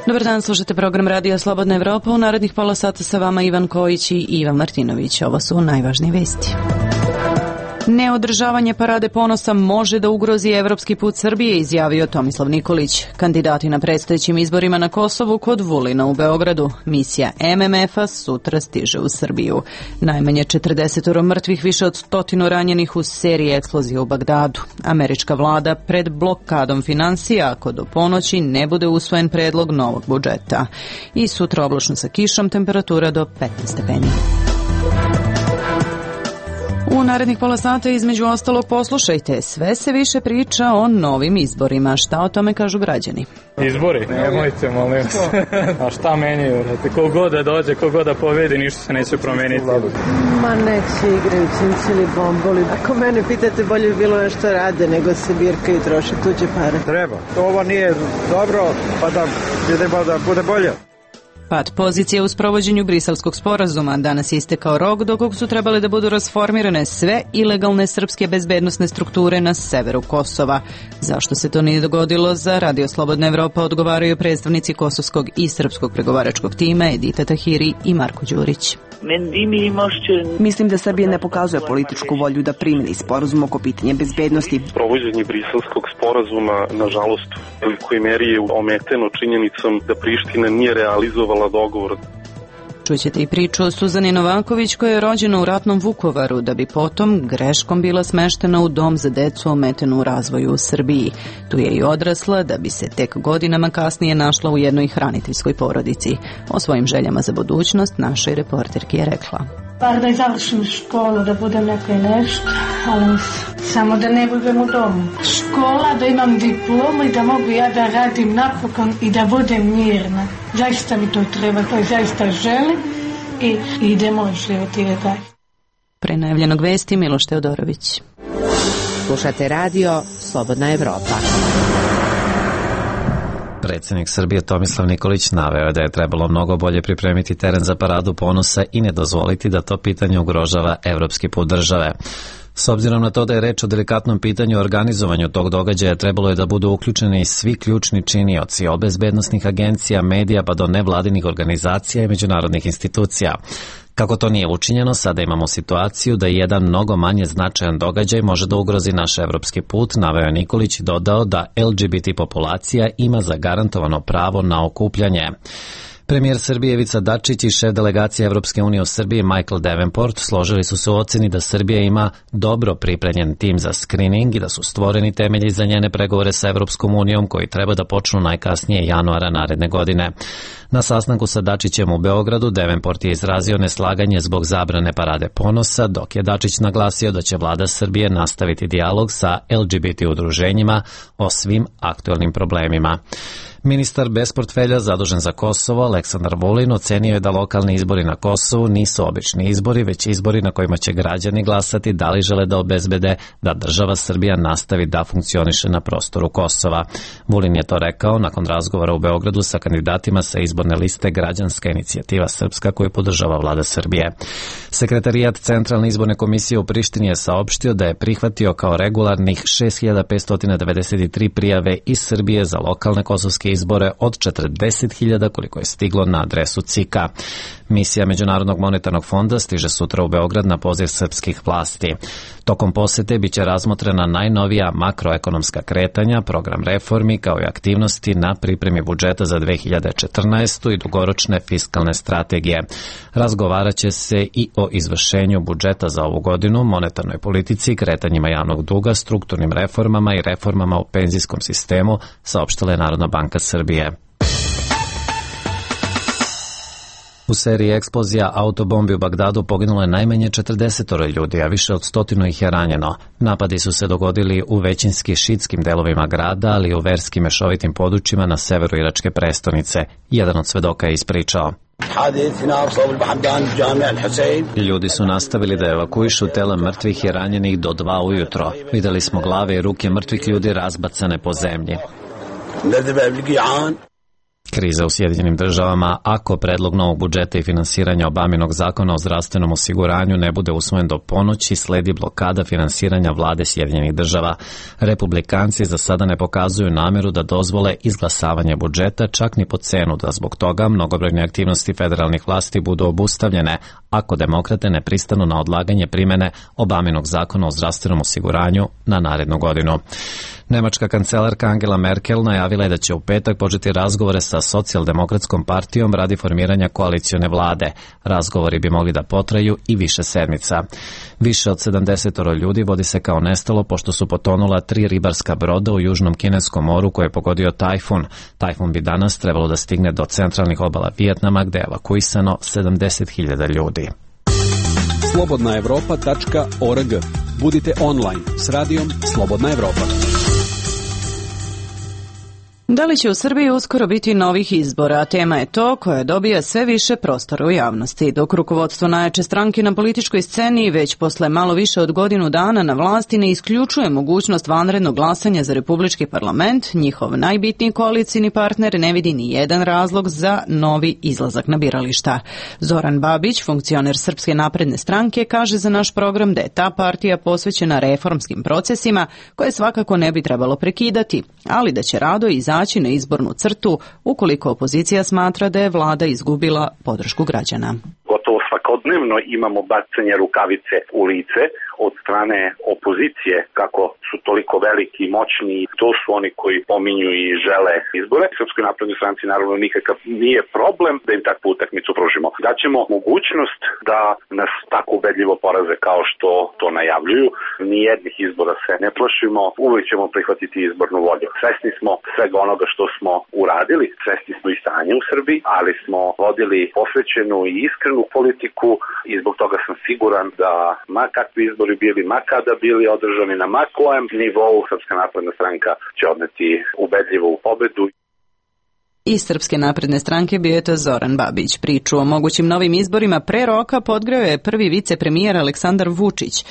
Dobar dan, slušate program Radija Slobodna Evropa. U narednih pola sata sa vama Ivan Kojić i Ivan Martinović. Ovo su najvažnije vesti. Neodržavanje parade ponosa može da ugrozi evropski put Srbije, izjavio Tomislav Nikolić. Kandidati na predstojećim izborima na Kosovu kod Vulina u Beogradu. Misija MMF-a sutra stiže u Srbiju. Najmanje 40 mrtvih, više od 100 ranjenih u seriji eksplozija u Bagdadu. Američka vlada pred blokadom finansija ako do ponoći ne bude usvojen predlog novog budžeta. I sutra oblačno sa kišom, temperatura do 15 stepeni. U narednih pola sata između ostalog poslušajte, sve se više priča o novim izborima. Šta o tome kažu građani? Izbori? Nemojte, molim vas. A šta menjaju? Kogod da dođe, kogod da pobedi, ništa se neće promeniti. Ma nek se igraju cinci ili bomboli. Ako mene pitate, bolje bi bilo nešto rade nego se birka i troše tuđe pare. Treba. Ovo nije dobro, pa da idemo da bude bolje. Pad pozicije u sprovođenju Briselskog sporazuma. Danas je istekao rok do kog su trebale da budu rasformirane sve ilegalne srpske bezbednosne strukture na severu Kosova. Zašto se to nije dogodilo? Za Radio Slobodna Evropa odgovaraju predstavnici kosovskog i srpskog pregovaračkog tima Edita Tahiri i Marko Đurić. Mislim da Srbija ne pokazuje političku volju da primeni sporazum oko pitanja bezbednosti. Provođenje Briselskog sporazuma, nažalost, u velikoj meri je ometeno činjenicom da Priština nije realizovala dogovor. Čućete i priču o Suzani Novaković koja je rođena u ratnom Vukovaru da bi potom greškom bila smeštena u dom za decu ometenu u razvoju u Srbiji. Tu je i odrasla da bi se tek godinama kasnije našla u jednoj hraniteljskoj porodici. O svojim željama za budućnost našoj reporterki je rekla: Bar da završim školu, da budem neko i nešto, ali samo da ne budem u domu. Škola, da imam diplomu i da mogu ja da radim napokon i da budem mirna. Zaista mi to treba, to zaista želim i idemo živjeti dalje. Pre najavljenog vesti Miloš Teodorović. Slušate radio Slobodna Evropa. Predsjednik Srbije Tomislav Nikolić naveo je da je trebalo mnogo bolje pripremiti teren za paradu ponosa i ne dozvoliti da to pitanje ugrožava evropski put države. S obzirom na to da je reč o delikatnom pitanju o organizovanju tog događaja, trebalo je da budu uključeni svi ključni činioci, od bezbednosnih agencija, medija pa do nevladinih organizacija i međunarodnih institucija. Kako to nije učinjeno, sada imamo situaciju da jedan mnogo manje značajan događaj može da ugrozi naš evropski put, naveo Nikolić i dodao da LGBT populacija ima zagarantovano pravo na okupljanje. Premijer Srbije Ivica Dačić i šef delegacije Evropske unije u Srbiji Michael Davenport složili su se u oceni da Srbija ima dobro pripremljen tim za skrining i da su stvoreni temelji za njene pregovore sa Evropskom unijom koji treba da počnu najkasnije januara naredne godine. Na sastanku sa Dačićem u Beogradu Davenport je izrazio neslaganje zbog zabrane parade ponosa, dok je Dačić naglasio da će vlada Srbije nastaviti dijalog sa LGBT udruženjima o svim aktuelnim problemima. Ministar bez portfelja zadužen za Kosovo, Aleksandar Vulin, ocenio je da lokalni izbori na Kosovu nisu obični izbori, već izbori na kojima će građani glasati da li žele da obezbede da država Srbija nastavi da funkcioniše na prostoru Kosova. Vulin je to rekao nakon razgovora u Beogradu sa kandidatima sa izborne liste Građanska inicijativa Srpska koju podržava vlada Srbije. Sekretarijat Centralne izborne komisije u Prištini je saopštio da je prihvatio kao regularnih 6593 prijave iz Srbije za lokalne kosovske izbore od 40.000 koliko je stiglo na adresu CIK-a. Misija Međunarodnog monetarnog fonda stiže sutra u Beograd na poziv srpskih vlasti. Tokom posete biće razmotrena najnovija makroekonomska kretanja, program reformi kao i aktivnosti na pripremi budžeta za 2014. i dugoročne fiskalne strategije. Razgovarat će se i o izvršenju budžeta za ovu godinu, monetarnoj politici, kretanjima javnog duga, strukturnim reformama i reformama u penzijskom sistemu, saopštila je Narodna banka Srbije. U seriji eksplozija autobombi u Bagdadu poginulo je najmanje 40 ljudi, a više od 100 ih je ranjeno. Napadi su se dogodili u većinski šitskim delovima grada, ali i u verski mešovitim područjima na severu iračke prestonice. Jedan od svedoka je ispričao: Ljudi su nastavili da evakuišu tela mrtvih i ranjenih do 2 ujutro. Videli smo glave i ruke mrtvih ljudi razbacane po zemlji. Kriza u Sjedinjenim državama, ako predlog novog budžeta i finansiranja Obaminog zakona o zdravstvenom osiguranju ne bude usvojen do ponoći, sledi blokada finansiranja vlade Sjedinjenih država. Republikanci za sada ne pokazuju nameru da dozvole izglasavanje budžeta, čak ni po cenu da zbog toga mnogobrojne aktivnosti federalnih vlasti budu obustavljene, ako demokrate ne pristanu na odlaganje primene Obaminog zakona o zdravstvenom osiguranju na narednu godinu. Nemačka kancelarka Angela Merkel najavila je da će u petak početi razgovore sa socijaldemokratskom partijom radi formiranja koalicione vlade. Razgovori bi mogli da potraju i više sedmica. Više od 70 ljudi vodi se kao nestalo pošto su potonula 3 ribarska broda u južnom kineskom moru koje je pogodio tajfun. Tajfun bi danas trebalo da stigne do centralnih obala Vijetnama gde je evakuisano 70.000 ljudi. slobodnaevropa.org. Budite online s radijom Slobodna Evropa. Da li će u Srbiji uskoro biti novih izbora? Tema je to koja dobija sve više prostora u javnosti. Dok rukovodstvo najjače stranke na političkoj sceni već posle malo više od godinu dana na vlasti ne isključuje mogućnost vanrednog glasanja za Republički parlament, njihov najbitniji koalicijni partner ne vidi ni jedan razlog za novi izlazak na birališta. Zoran Babić, funkcioner Srpske napredne stranke, kaže za naš program da je ta partija posvećena reformskim procesima koje svakako ne bi trebalo prekidati, ali da će rado izaći na izbornu crtu ukoliko opozicija smatra da je vlada izgubila podršku građana. Gotovo svakodnevno imamo bacanje rukavice u lice od strane opozicije kako su toliko veliki i moćni. To su oni koji pominju i žele izbore. Srpskoj naprednoj stranci naravno nikakav nije problem da im takvu utakmicu pružimo. Daćemo mogućnost da nas tako ubedljivo poraze kao što to najavljuju. Nijednih izbora se ne plašimo, uvijek ćemo prihvatiti izbornu volju. Svesni smo svega onoga što smo uradili, svesni smo i stanja u Srbiji, ali smo vodili posvećenu i iskrenu politiku i zbog toga sam siguran da ma kakvi izbori bili, ma kada bili održani na ma kojem nivou, Srpska napredna stranka će odneti ubedljivu pobedu. Iz Srpske napredne stranke bio je to Zoran Babić. Priču o mogućim novim izborima pre roka podgreo je prvi vicepremijer Aleksandar Vučić.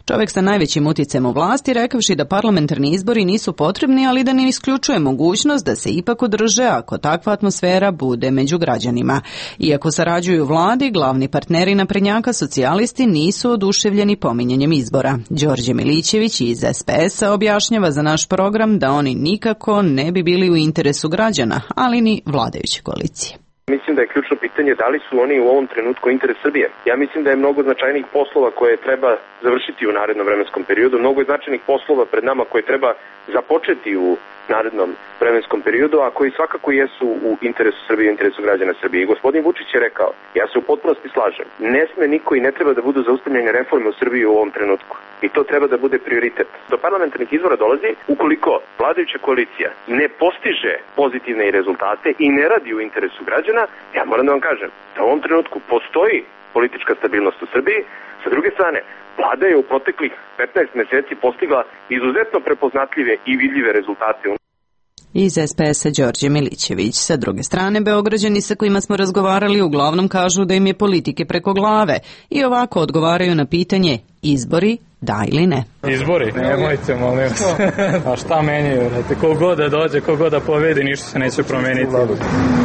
Čovjek sa najvećim uticajem u vlasti, rekavši da parlamentarni izbori nisu potrebni, ali da ne isključuje mogućnost da se ipak održe ako takva atmosfera bude među građanima. Iako sarađuju vladi, glavni partneri naprednjaka socijalisti nisu oduševljeni pominjanjem izbora. Đorđe Milićević iz SPS-a objašnjava za naš program da oni nikako ne bi bili u interesu građana, ali ni vladajuće koalicije. Mislim da je ključno pitanje da li su oni u ovom trenutku interes Srbije. Ja mislim da je mnogo značajnih poslova koje treba završiti u narednom vremenskom periodu, mnogo je značajnih poslova pred nama koje treba započeti u narednom vremenskom periodu, a koji svakako jesu u interesu Srbije i interesu građana Srbije. I gospodin Vučić je rekao, ja se u potpunosti slažem, ne sme niko i ne treba da budu zaustavljene reforme u Srbiji u ovom trenutku. I to treba da bude prioritet. Do parlamentarnih izbora dolazi ukoliko vladajuća koalicija ne postiže pozitivne rezultate i ne radi u interesu građana. Ja moram da vam kažem da u ovom trenutku postoji politička stabilnost u Srbiji. Sa druge strane, vlada je u proteklih 15 meseci postigla izuzetno prepoznatljive i vidljive rezultate. Iz SPS-a Đorđe Milićević. Sa druge strane, Beograđani sa kojima smo razgovarali uglavnom kažu da im je politike preko glave i ovako odgovaraju na pitanje izbori, da ili ne. Izbori? Nemojte, molim vas. A šta menjaju? Kogod da dođe, kogod da pobedi, ništa se neće promeniti.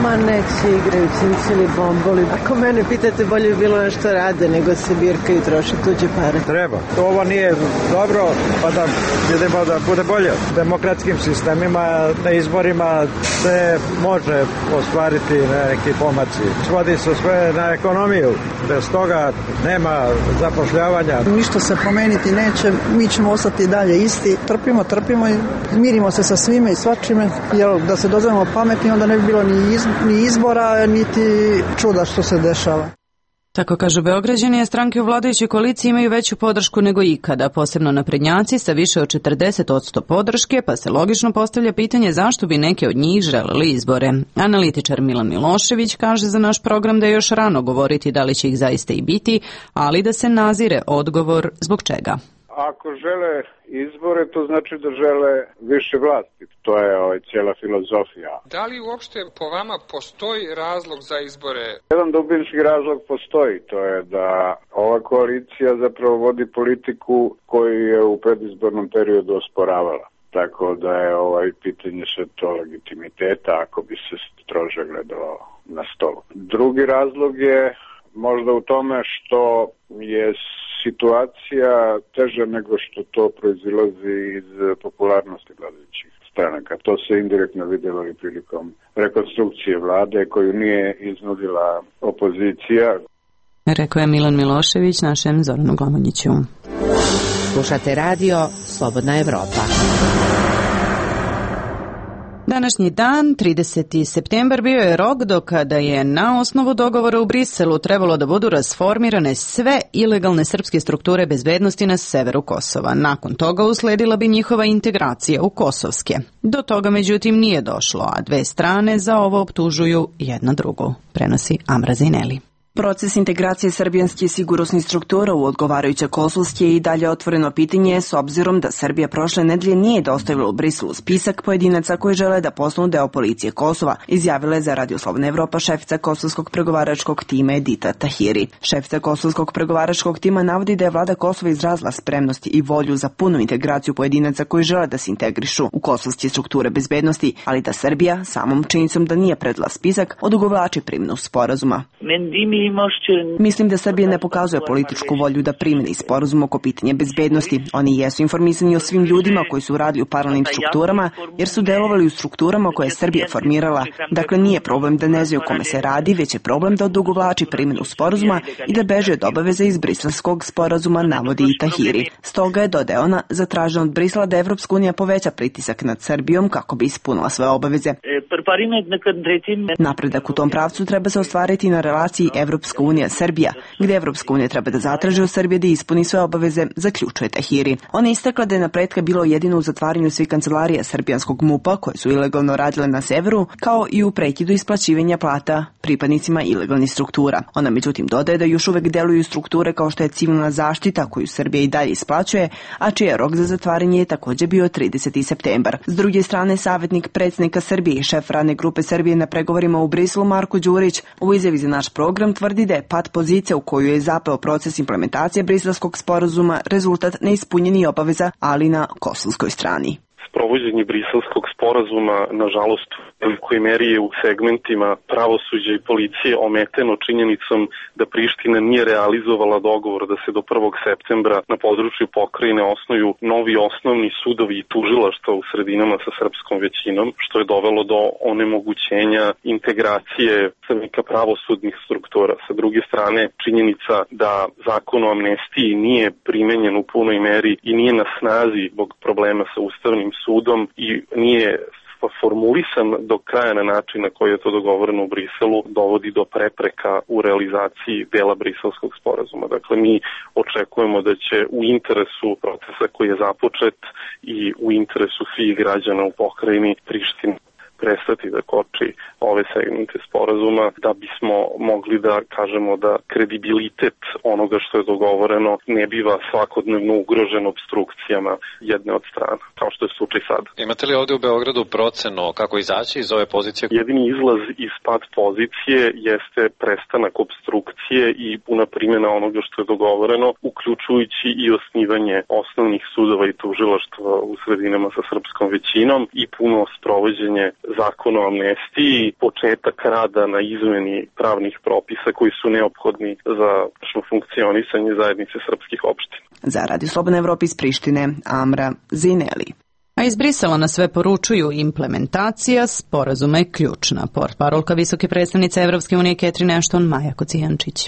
Ma neće, igraju cincili, bomboli. Ako mene pitate, bolje bi bilo nešto rade nego se birkaju i troše tuđe pare. Treba. Ovo nije dobro, pa da idemo da bude bolje. Demokratskim sistemima, na izborima se može ostvariti neki pomaci. Svodi se sve na ekonomiju. Bez toga nema zapošljavanja. Ništa se promeniti neće, mi ćemo ostati dalje isti. Trpimo i mirimo se sa svime i svačime, jer da se dozovemo pametni, onda ne bi bilo ni izbora, niti čuda što se dešava. Tako kažu Beograđani, a stranke u vladajućoj koaliciji imaju veću podršku nego ikada, posebno naprednjaci sa više od 40% podrške, pa se logično postavlja pitanje zašto bi neke od njih želeli izbore. Analitičar Milan Milošević kaže za naš program da je još rano govoriti da li će ih zaista i biti, ali da se nazire odgovor zbog čega. Ako žele izbore, to znači da žele više vlasti. To je cijela filozofija. Da li uopšte po vama postoji razlog za izbore? Jedan dubinski razlog postoji. To je da ova koalicija zapravo vodi politiku koju je u predizbornom periodu osporavala. tako da je pitanje sve to legitimiteta ako bi se strože gledalo na stolu. Drugi razlog je možda u tome što je situacija teža nego što to proizilazi iz popularnosti vladajućih stranaka. To se indirektno vidjelo i prilikom rekonstrukcije vlade koju nije iznudila opozicija. Rekao je Milan Milošević našem Zoranu Glamonjiću. Slušate radio Slobodna Evropa. Današnji dan, 30. septembar, bio je rok do kada je na osnovu dogovora u Briselu trebalo da budu rasformirane sve ilegalne srpske strukture bezbednosti na severu Kosova. Nakon toga usledila bi njihova integracija u kosovske. Do toga međutim nije došlo, a dve strane za ovo optužuju jedna drugu, prenosi Amra Zineli. Proces integracije srbijanskih sigurnosnih struktura u odgovarajuće kosovske je i dalje otvoreno pitanje s obzirom da Srbija prošle nedelje nije dostavila u Briselu spisak pojedinaca koji žele da postanu deo policije Kosova, izjavila je za Radio Slobodna Evropa šefica kosovskog pregovaračkog tima Edita Tahiri. Šefica kosovskog pregovaračkog tima navodi da je vlada Kosova izrazila spremnost i volju za punu integraciju pojedinaca koji žele da se integrišu u kosovske strukture bezbednosti, ali da Srbija samom činjenicom da nije predala spisak odugovlači primjenu sporazuma. Mislim da Srbija ne pokazuje političku volju da primeni sporazum oko pitanja bezbednosti. Oni jesu informisani o svim ljudima koji su radili u paralelnim strukturama, jer su delovali u strukturama koje je Srbija formirala. Dakle, nije problem da ne znaju kome se radi, već je problem da odugovlači primjenu sporazuma i da beže od obaveze iz briselskog sporazuma, navodi i Tahiri. Stoga je, dodaje ona, zatraženo od Brisela da Evropska unija poveća pritisak nad Srbijom kako bi ispunila svoje obaveze. Napredak u tom pravcu treba se ostvariti na relaciji Evropska unija-Srbija, gde Evropska unija treba da zatraži od Srbije da ispuni sve obaveze, zaključuje Tahiri. Ona je istakla da je napretka bilo jedino u zatvaranju svih kancelarija srbijanskog MUP-a koje su ilegalno radile na severu, kao i u prekidu isplaćivanja plata pripadnicima ilegalnih struktura. Ona međutim dodaje da još uvek deluju strukture kao što je civilna zaštita koju Srbija i dalje isplaćuje, a čiji je rok za zatvaranje je također bio 30. septembar. S druge strane, savjetnik predsjednika Srbije i šef radne grupe Srbije na pregovorima u Briselu Marko Đurić u izjavi za naš program tvrdi da je pad pozicija u koju je zapeo proces implementacije briselskog sporazuma rezultat neispunjenih obaveza, ali na kosovskoj strani. Sprovođenje briselskog sporazuma, nažalost, u velikoj meri je u segmentima pravosuđa i policije ometeno činjenicom da Priština nije realizovala dogovor da se do 1. septembra na području pokrajine osnuju novi osnovni sudovi i tužilaštva u sredinama sa srpskom većinom, što je dovelo do onemogućenja integracije predstavnika pravosudnih struktura. Sa druge strane, činjenica da zakon o amnestiji nije primenjen u punoj meri i nije na snazi zbog problema sa Ustavnim sudom i nije formulisan do kraja na način na koji je to dogovoreno u Briselu, dovodi do prepreka u realizaciji dela briselskog sporazuma. Dakle, mi očekujemo da će u interesu procesa koji je započet i u interesu svih građana u pokrajini Priština prestati da koči ove segmente sporazuma, da bismo mogli da kažemo da kredibilitet onoga što je dogovoreno ne biva svakodnevno ugrožen obstrukcijama jedne od strana, kao što je slučaj sada. Imate li ovdje u Beogradu procenu kako izaći iz ove pozicije? Jedini izlaz iz pad pozicije jeste prestanak obstrukcije i puna primjena onoga što je dogovoreno, uključujući i osnivanje osnovnih sudova i tužilaštva u sredinama sa srpskom većinom i puno sprovođenje zakona o amnestiji, početak rada na izmeni pravnih propisa koji su neophodni za funkcionisanje zajednice srpskih opština. Za Radio Slobodna Evropa iz Prištine, Amra Zineli. A iz Brisela na sve poručuju implementacija sporazuma je ključna. Portparolka visoke predstavnice Evropske unije Catherine Ashton, Maja Kocijančić.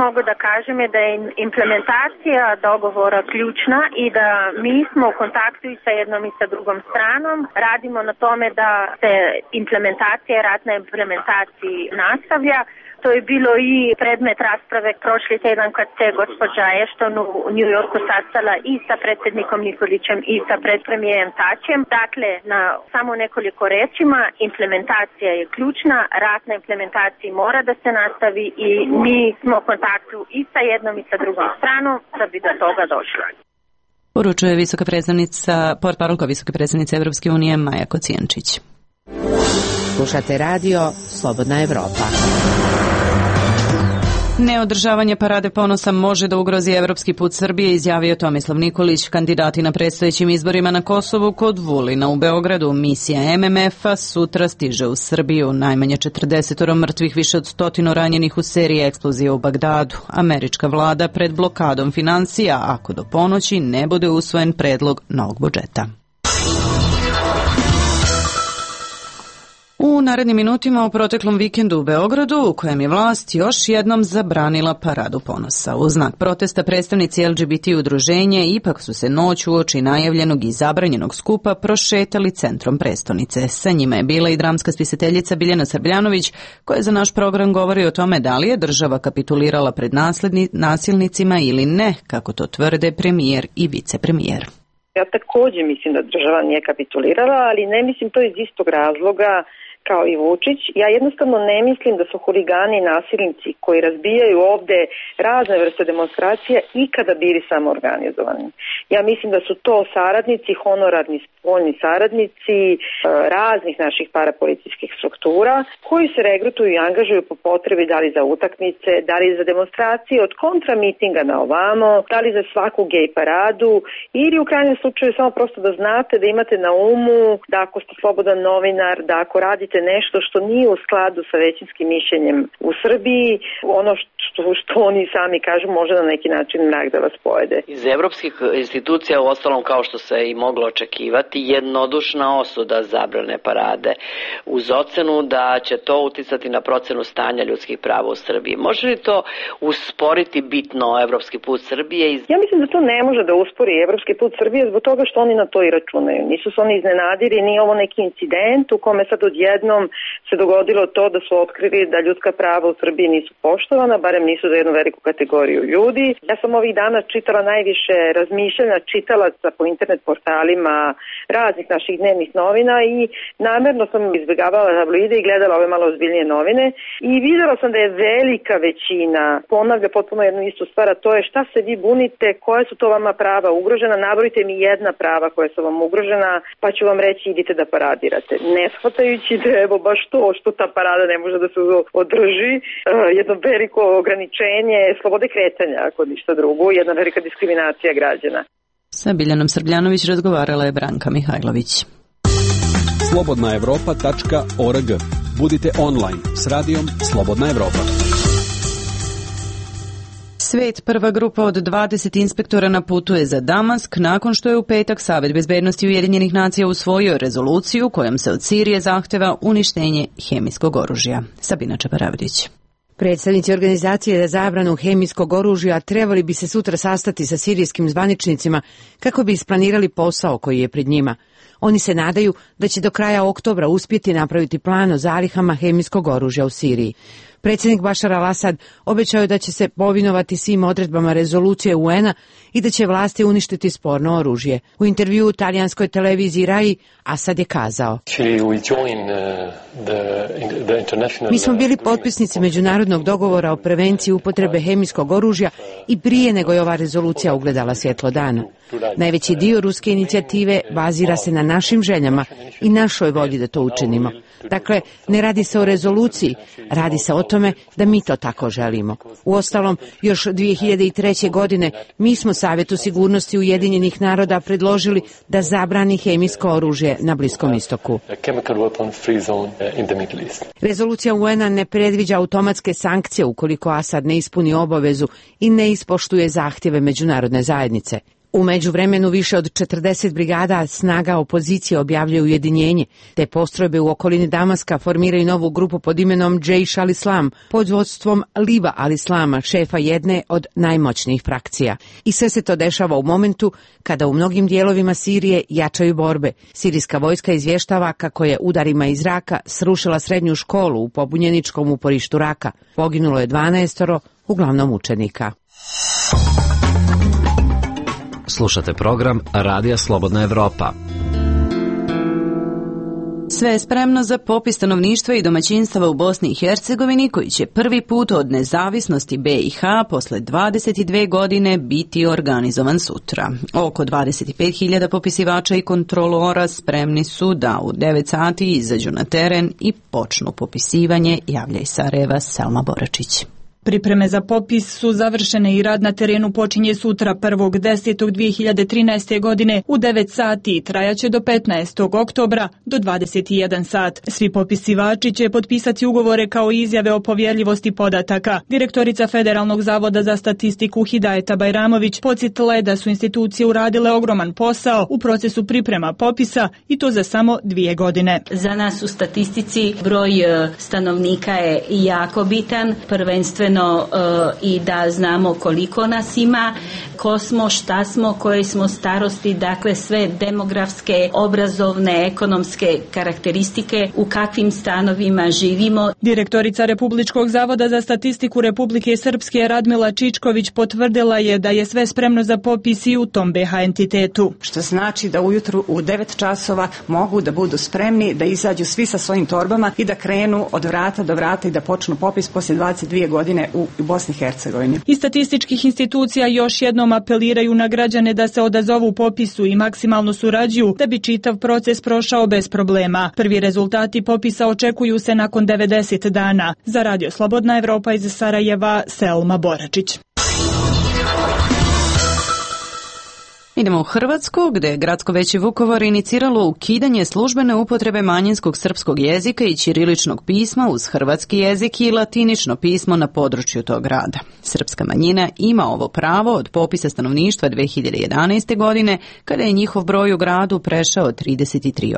Mogu da kažem je da je implementacija dogovora ključna i da mi smo u kontaktu i sa jednom i sa drugom stranom. Radimo na tome da se implementacija, rad na implementaciji nastavlja. To je bilo i predmet rasprave prošli tjedan kad se gospođa Ashton u New Yorku sastala i sa predsjednikom Nikolićem i sa predpremijerem Tačem. Dakle, na samo nekoliko rečima, implementacija je ključna, rad na implementaciji mora da se nastavi i mi smo u kontaktu i sa jednom i sa drugom stranom da bi do toga došlo. Poručuje visoka predstavnica, portparolka visoke predstavnice Evropske unije Maja Kocijančić. Slušate radio Slobodna Evropa. Neodržavanje parade ponosa može da ugrozi evropski put Srbije, izjavio Tomislav Nikolić. Kandidati na predstojećim izborima na Kosovu kod Vulina u Beogradu. Misija MMF-a sutra stiže u Srbiju. Najmanje 40 mrtvih, više od 100 ranjenih u seriji eksplozija u Bagdadu. Američka vlada pred blokadom finansija ako do ponoći ne bude usvojen predlog novog budžeta. U narednim minutima u proteklom vikendu u Beogradu, u kojem je vlast još jednom zabranila paradu ponosa. U znak protesta predstavnici LGBT udruženja ipak su se noć uoči najavljenog i zabranjenog skupa prošetali centrom prestonice. Sa njima je bila i dramska spisateljica Biljana Srbljanović, koja za naš program govori o tome da li je država kapitulirala pred nasilnicima ili ne, kako to tvrde premijer i vicepremijer. Ja također mislim da država nije kapitulirala, ali ne mislim to iz istog razloga kao i Vučić. Ja jednostavno ne mislim da su huligani i nasilnici koji razbijaju ovde razne vrste demonstracija ikada bili samo organizovani. Ja mislim da su to saradnici, honorarni spoljni saradnici raznih naših parapolicijskih struktura koji se regrutuju i angažuju po potrebi, da li za utakmice, da li za demonstracije od kontramitinga na ovamo, da li za svaku gej paradu ili u krajnjem slučaju samo prosto da znate, da imate na umu da ako ste slobodan novinar, da ako radite nešto što nije u skladu sa većinskim mišljenjem u Srbiji, ono što oni sami kažu može na neki način mrak da vas pojede. Iz evropskih institucija, uostalom kao što se i moglo očekivati, jednodušna osuda zabrane parade uz ocenu da će to uticati na procenu stanja ljudskih prava u Srbiji. Može li to usporiti bitno evropski put Srbije? Ja mislim da to ne može da uspori evropski put Srbije zbog toga što oni na to i računaju. Nisu se oni iznenadili, nije ovo neki incident u kome sad odjednom se dogodilo to da su otkrili da ljudska prava u Srbiji nisu poštovana, barem nisu za jednu veliku kategoriju ljudi. Ja sam ovih dana čitala najviše razmišljanja čitalaca po internet portalima raznih naših dnevnih novina i namjerno sam izbjegavala tabloide i gledala ove malo ozbiljnije novine i videla sam da je velika većina ponavlja potpuno jednu istu stvar, a to je šta se vi bunite, koje su to vama prava ugrožena, nabrojite mi jedna prava koja su vam ugrožena, pa ću vam reći idite da paradirate. Ne shvatajući da evo baš to što ta parada ne može da se održi, jedno veliko ograničenje slobode kretanja, ako ništa drugo, jedna velika diskriminacija građana. Sa Biljanom Srbljanović razgovarala je Branka Mihajlović. slobodnaevropa.org. Budite online s radijom Slobodna Evropa. Svet, prva grupa od 20 inspektora na putu je za Damask nakon što je u petak Savet bezbednosti Ujedinjenih nacija usvojio rezoluciju kojom se od Sirije zahteva uništenje hemijskog oružja. Sabina Čaparavdić. Predstavnici organizacije za zabranu hemijskog oružja trebali bi se sutra sastati sa sirijskim zvaničnicima kako bi isplanirali posao koji je pred njima. Oni se nadaju da će do kraja oktobra uspjeti napraviti plan o zalihama hemijskog oružja u Siriji. Predsjednik Bašar al-Asad obećao je da će se povinovati svim odredbama rezolucije UN-a i da će vlasti uništiti sporno oružje. U intervjuu u talijanskoj televiziji RAI Asad je kazao: Mi smo bili potpisnici međunarodnog dogovora o prevenciji upotrebe hemijskog oružja i prije nego je ova rezolucija ugledala svjetlo dana. Najveći dio ruske inicijative bazira se na našim željama i našoj volji da to učinimo. Dakle, ne radi se o rezoluciji, radi se o tome da mi to tako želimo. Uostalom, još 2003. godine mi smo Savjetu sigurnosti Ujedinjenih naroda predložili da zabrani hemijsko oružje na Bliskom istoku. Rezolucija UN-a ne predviđa automatske sankcije ukoliko Asad ne ispuni obavezu i ne ispoštuje zahtjeve međunarodne zajednice. U međuvremenu više od 40 brigada snaga opozicije objavljaju ujedinjenje, te postrojbe u okolini Damaska formiraju novu grupu pod imenom Džejš al-Islam pod vodstvom Liva al-Islama, šefa jedne od najmoćnijih frakcija. I sve se to dešava u momentu kada u mnogim dijelovima Sirije jačaju borbe. Sirijska vojska izvještava kako je udarima iz zraka srušila srednju školu u pobunjeničkom uporištu Raka. Poginulo je 12, uglavnom učenika. Slušate program Radija Slobodna Evropa. Sve je spremno za popis stanovništva i domaćinstava u Bosni i Hercegovini koji će prvi put od nezavisnosti BiH posle 22 godine biti organizovan sutra. Oko 25.000 popisivača i kontrolora spremni su da u 9 sati izađu na teren i počnu popisivanje, javlja iz Sarajeva Selma Boračić. Pripreme za popis su završene i rad na terenu počinje sutra 1.10.2013. godine u 9 sati i trajaće do 15. oktobra do 21 sat. Svi popisivači će potpisati ugovore kao i izjave o povjerljivosti podataka. Direktorica Federalnog zavoda za statistiku Hidajeta Bajramović podsjetila je da su institucije uradile ogroman posao u procesu priprema popisa i to za samo 2 godine. Za nas u statistici broj stanovnika je jako bitan, prvenstveno i da znamo koliko nas ima, ko smo, šta smo, koje smo starosti, dakle sve demografske, obrazovne, ekonomske karakteristike, u kakvim stanovima živimo. Direktorica Republičkog zavoda za statistiku Republike Srpske Radmila Čičković potvrdila je da je sve spremno za popis i u tom BH entitetu. Što znači da ujutru u 9 časova mogu da budu spremni, da izađu svi sa svojim torbama i da krenu od vrata do vrata i da počnu popis poslije 22 godine u Bosni i Hercegovini. Iz statističkih institucija još jednom apeliraju na građane da se odazovu popisu i maksimalno surađuju da bi čitav proces prošao bez problema. Prvi rezultati popisa očekuju se nakon 90 dana. Za Radio Slobodna Evropa iz Sarajeva, Selma Boračić. Idemo u Hrvatsku, gde je Gradsko veće Vukovar iniciralo ukidanje službene upotrebe manjinskog srpskog jezika i ćiriličnog pisma uz hrvatski jezik i latinično pismo na području tog grada. Srpska manjina ima ovo pravo od popisa stanovništva 2011. godine, kada je njihov broj u gradu prešao 33%.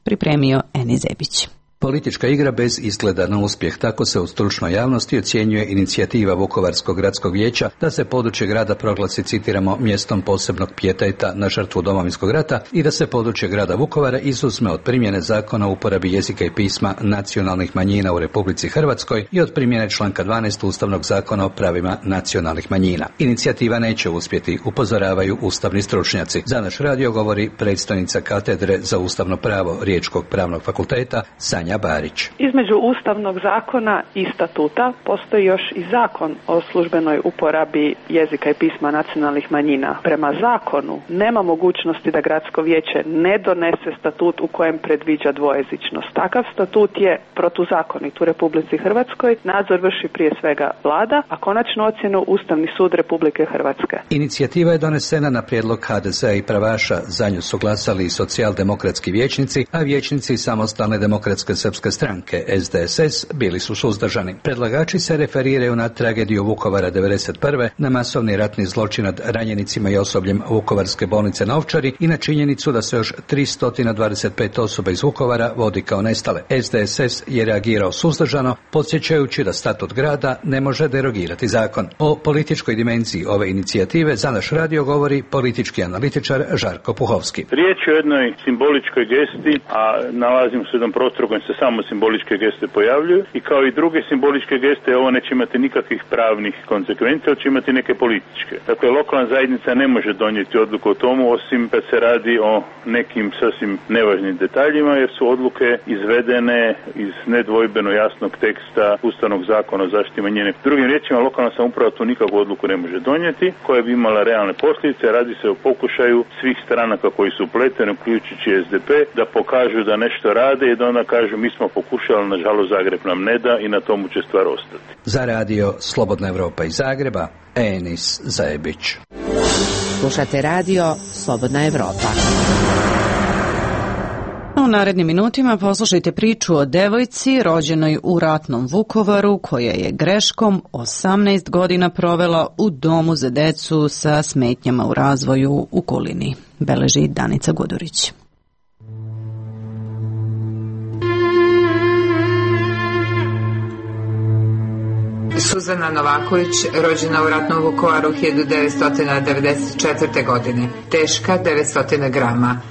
Pripremio Eni Zebić. Politička igra bez izgleda na uspjeh, tako se u stručnoj javnosti ocjenjuje inicijativa Vukovarskog gradskog vijeća da se područje grada proglasi, citiramo, mjestom posebnog pijeteta na žrtvu Domovinskog rata i da se područje grada Vukovara izuzme od primjene zakona o uporabi jezika i pisma nacionalnih manjina u Republici Hrvatskoj i od primjene članka 12 Ustavnog zakona o pravima nacionalnih manjina. Inicijativa neće uspjeti, upozoravaju ustavni stručnjaci. Za naš radio govori predstojnica katedre za ustavno pravo Riječkog pravnog fakulteta Sanja Barić. Između Ustavnog zakona i statuta postoji još i zakon o službenoj uporabi jezika i pisma nacionalnih manjina. Prema zakonu nema mogućnosti da gradsko vijeće ne donese statut u kojem predviđa dvojezičnost. Takav statut je protuzakonit u Republici Hrvatskoj. Nadzor vrši prije svega vlada, a konačnu ocjenu Ustavni sud Republike Hrvatske. Inicijativa je donesena na prijedlog HDZ-a i Pravaša. Za nju su glasali i socijaldemokratski vijećnici, a vijećnici Samostalne demokratske srpske stranke SDSS bili su suzdržani. Predlagači se referiraju na tragediju Vukovara 1991. na masovni ratni zločin nad ranjenicima i osobljem Vukovarske bolnice na Ovčari i na činjenicu da se još 325 osoba iz Vukovara vodi kao nestale. SDSS je reagirao suzdržano, podsjećajući da statut grada ne može derogirati zakon. O političkoj dimenziji ove inicijative za naš radio govori politički analitičar Žarko Puhovski. Riječ je o jednoj simboličkoj gesti, a nalazimo se u jednom prostoru kojim se samo simboličke geste pojavljuju i kao i druge simboličke geste ovo neće imati nikakvih pravnih konsekvencija, će imati neke političke. Dakle, lokalna zajednica ne može donijeti odluku o tomu osim kad se radi o nekim sasvim nevažnim detaljima jer su odluke izvedene iz nedvojbeno jasnog teksta Ustavnog zakona o zaštiti manjine. Drugim riječima, lokalna samouprava tu nikakvu odluku ne može donijeti koja bi imala realne posljedice. Radi se o pokušaju svih stranaka koji su upleteni, uključujući SDP, da pokažu da nešto rade i da onda kažu mi smo pokušali, nažalost Zagreb nam ne da i na tomu će stvar ostati. Za radio Slobodna Evropa iz Zagreba, Enis Zajebić. Slušate radio Slobodna Evropa. U narednim minutima poslušajte priču o devojci rođenoj u ratnom Vukovaru koja je greškom 18 godina provela u domu za decu sa smetnjama u razvoju u Kulini. Beleži Danica Gudurić. Suzana Novaković, rođena u ratnom Vukovaru 1994. godine, teška 900 grama.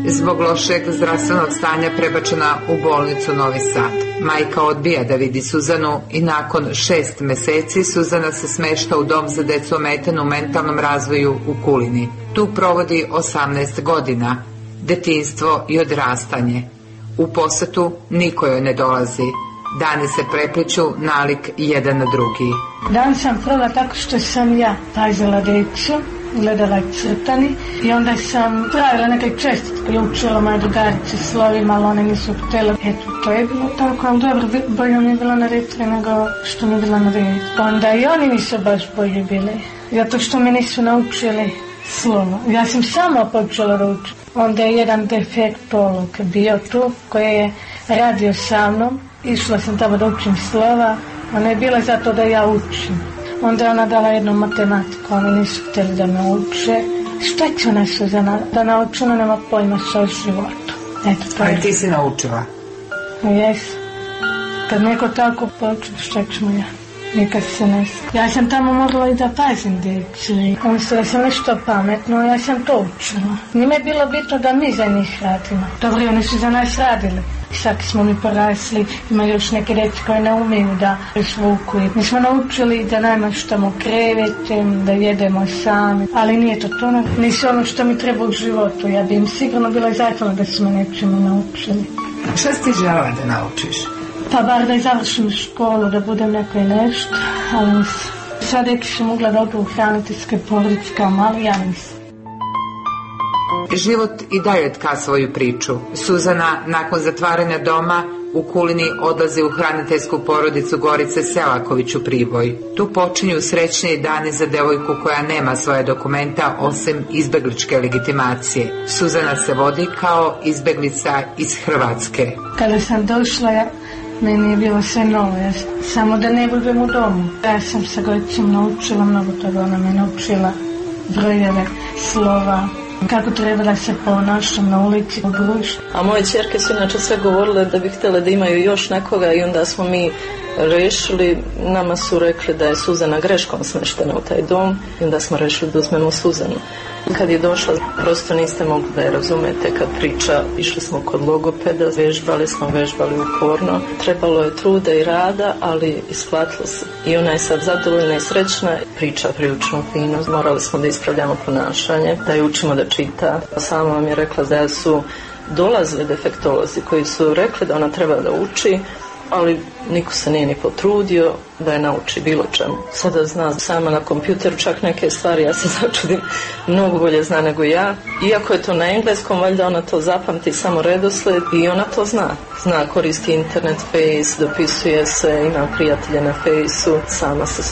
Zbog lošeg zdravstvenog stanja prebačena u bolnicu Novi Sad. Majka odbija da vidi Suzanu i nakon 6 meseci Suzana se smešta u dom za decu ometenu u mentalnom razvoju u Kulini. Tu provodi 18 godina, detinjstvo i odrastanje. U posetu niko joj ne dolazi. Dani se prepliču nalik jedan na drugi. Dan sam provela tako što sam ja pazila decu gledala crtani i onda sam pravila neke čestitke i učila moje drugarice slovima, ali one nisu htjela. Eto, to je bilo tako, ali dobro, bolje mi je bilo na retri nego što mi je bilo na redu. Onda i oni nisu baš bolji bili, zato što me nisu naučili slovo. Ja sam sama počela da učim. Onda je jedan defektolog bio tu koji je radio sa mnom. Išla sam tamo da učim slova. Ona je bila zato da ja učim. Onda je ona dala jednu matematiku, oni nisu htjeli da me uče. Šta će ona Suzana da nauči, ona nema pojma sa životom. Eto, to je. Ali ti si naučila? Jes. Kad neko tako počne, šta ćemo ja? Nikad se ne zna. Ja sam tamo morala i da pazim djecu. Oni su da sam nešto pametno, ja sam to učila. Njima je bilo bitno da mi za njih radimo. Dobro, oni su za nas radili. Sad smo mi porasli, ima još neke djece koje ne umiju da izvuku. Mi smo naučili da namaštamo krevete, da jedemo sami, ali nije to to. Nisu ono što mi treba u životu. Ja bi im sigurno bila zahvalna da su me nečemu naučili. Šta si ti želela da naučiš? Pa bar da završim školu, da budem neko i nešto, ali sad dječi sam mogla da odu u hraniteljske porodice kao mali, ja nisam. Život i dalje tka svoju priču. Suzana nakon zatvaranja doma u Kulini odlazi u hraniteljsku porodicu Gorice Selaković u Priboj. Tu počinju srećniji dani za devojku koja nema svoje dokumenta osim izbegličke legitimacije. Suzana se vodi kao izbeglica iz Hrvatske. Kada sam došla, meni je bilo sve novo, samo da ne budem u domu. Ja sam sa Goricom naučila mnogo toga, ona me naučila brojeve, slova, kako treba da se ponašam na ulici, u društvu. A moje ćerke su inače sve govorile da bi htjele da imaju još nekoga i onda smo mi rešili, nama su rekli da je Suzana greškom smeštena u taj dom i onda smo rešili da uzmemo Suzanu. Kad je došla, prosto niste mogli da je razumete kad priča. Išli smo kod logopeda, vežbali uporno. Trebalo je truda i rada, ali isplatilo se. I ona je sad zadovoljna i srećna, priča prilično fino. Morali smo da ispravljamo ponašanje, da je učimo da čita. Sama vam je rekla da su dolazili defektolozi koji su rekli da ona treba da uči, ali niko se nije ni potrudio da je nauči bilo čemu. Sada zna sama na kompjuteru čak neke stvari, ja se začudim, mnogo bolje zna nego ja. Iako je to na engleskom, valjda ona to zapamti samo redosled i ona to zna. Zna, koristi internet, Face, dopisuje se, ima prijatelje na Faceu, sama se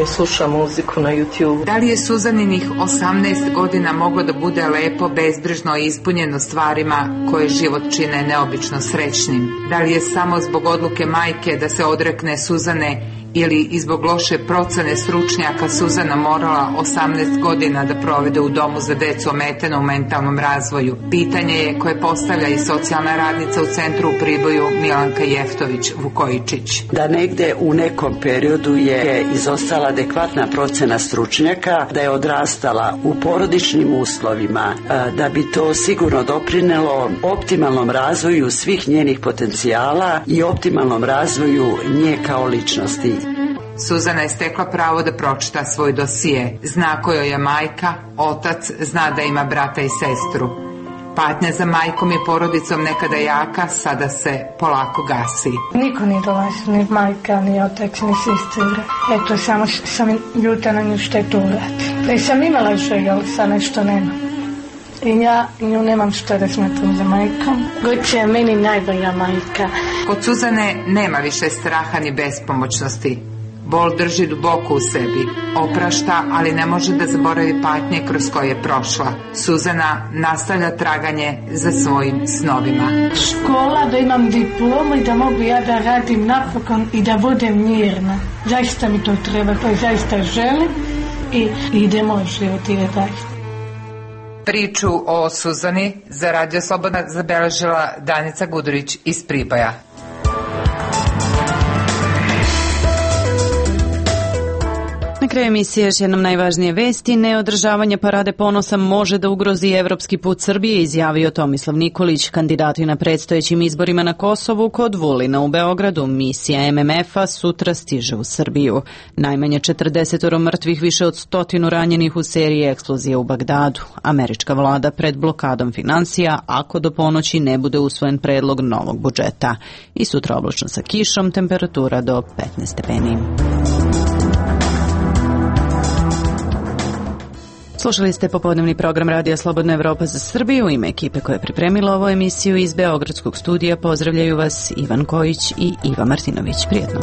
sluša muziku na YouTube. Da li je Suzaninih 18 godina moglo da bude lepo, bezbrižno i ispunjeno stvarima koje život čine neobično srećnim? Da li je samo zbog odluke majke da se odrekne Suzane ili i zbog loše procene stručnjaka Suzana morala 18 godina da provede u domu za decu ometenu u mentalnom razvoju? Pitanje je koje postavlja i socijalna radnica u centru u Priboju Milanka Jeftović-Vukojičić. Da negde u nekom periodu je izostala adekvatna procena stručnjaka, da je odrastala u porodičnim uslovima, da bi to sigurno doprinelo optimalnom razvoju svih njenih potencijala i optimalnom razvoju nje kao ličnosti. Suzana je stekla pravo da pročita svoj dosije. Zna ko joj je majka, otac, zna da ima brata i sestru. Patnja za majkom i porodicom nekada jaka, sada se polako gasi. Niko nije dolazio, ni majka, ni otac, ni sestra. Eto, samo sam ljuta na nju što je to uradi. Da sam imala želju, ali sad nešto nema. I ja nju nemam što da smatram za majkom. Gorica je meni najbolja majka. Kod Suzane nema više straha ni bespomoćnosti. Bol drži duboko u sebi, oprašta, ali ne može da zaboravi patnje kroz koje je prošla. Suzana nastavlja traganje za svojim snovima. Škola, da imam diplomu i da mogu ja da radim napokon i da budem mirna. Zaista mi to treba, to zaista želim i idemo život i dalje. Priču o Suzani za Radio Slobodna zabeležila Danica Gudurić iz Priboja. Na kraju emisije još jednom najvažnije vesti. Neodržavanje parade ponosa može da ugrozi evropski put Srbije, izjavio Tomislav Nikolić. Kandidati na predstojećim izborima na Kosovu kod Vulina u Beogradu. Misija MMF-a sutra stiže u Srbiju. Najmanje 40 mrtvih, više od 100 ranjenih u seriji eksplozije u Bagdadu. Američka vlada pred blokadom finansija ako do ponoći ne bude usvojen predlog novog budžeta. I sutra oblačno sa kišom, temperatura do 15 stepeni. Slušali ste popodnevni program Radija Slobodna Evropa za Srbiju. U ime ekipe koja je pripremila ovu emisiju iz Beogradskog studija pozdravljaju vas Ivan Kojić i Iva Martinović. Prijetno.